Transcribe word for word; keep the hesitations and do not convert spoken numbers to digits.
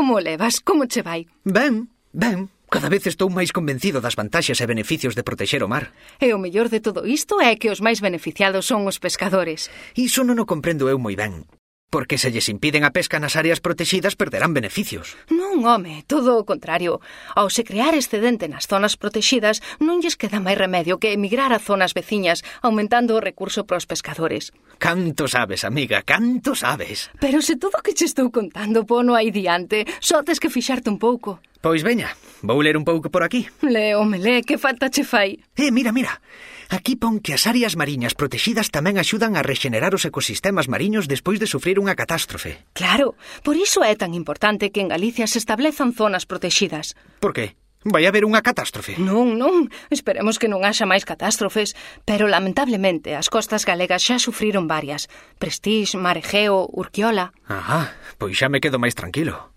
como o levas? Como che vai? Ben, ben. Cada vez estou máis convencido das vantaxes e beneficios de protexer o mar. E o mellor de todo isto é que os máis beneficiados son os pescadores. Iso non o comprendo eu moi ben. Porque se lles impiden a pesca nas áreas protegidas perderán beneficios. Non, home, todo o contrario. Ao se crear excedente nas zonas protegidas, non lles queda máis remedio que emigrar a zonas veciñas, aumentando o recurso para os pescadores. Canto sabes, amiga, canto sabes. Pero se todo o que che estou contando pono aí diante, só tes que fixarte un pouco. Pois veña, vou ler un pouco por aquí. Le, home, le, que falta che fai? Eh, mira, mira. Aquí pon que as áreas mariñas protegidas tamén axudan a rexenerar os ecosistemas mariños despois de sufrir unha catástrofe. Claro, por iso é tan importante que en Galicia se establezan zonas protegidas. Por que? Vai haber unha catástrofe? Non, non, esperemos que non haxa máis catástrofes, pero lamentablemente as costas galegas xa sufriron varias. Prestís, Mar Egeo, Urquiola. Ajá, pois xa me quedo máis tranquilo.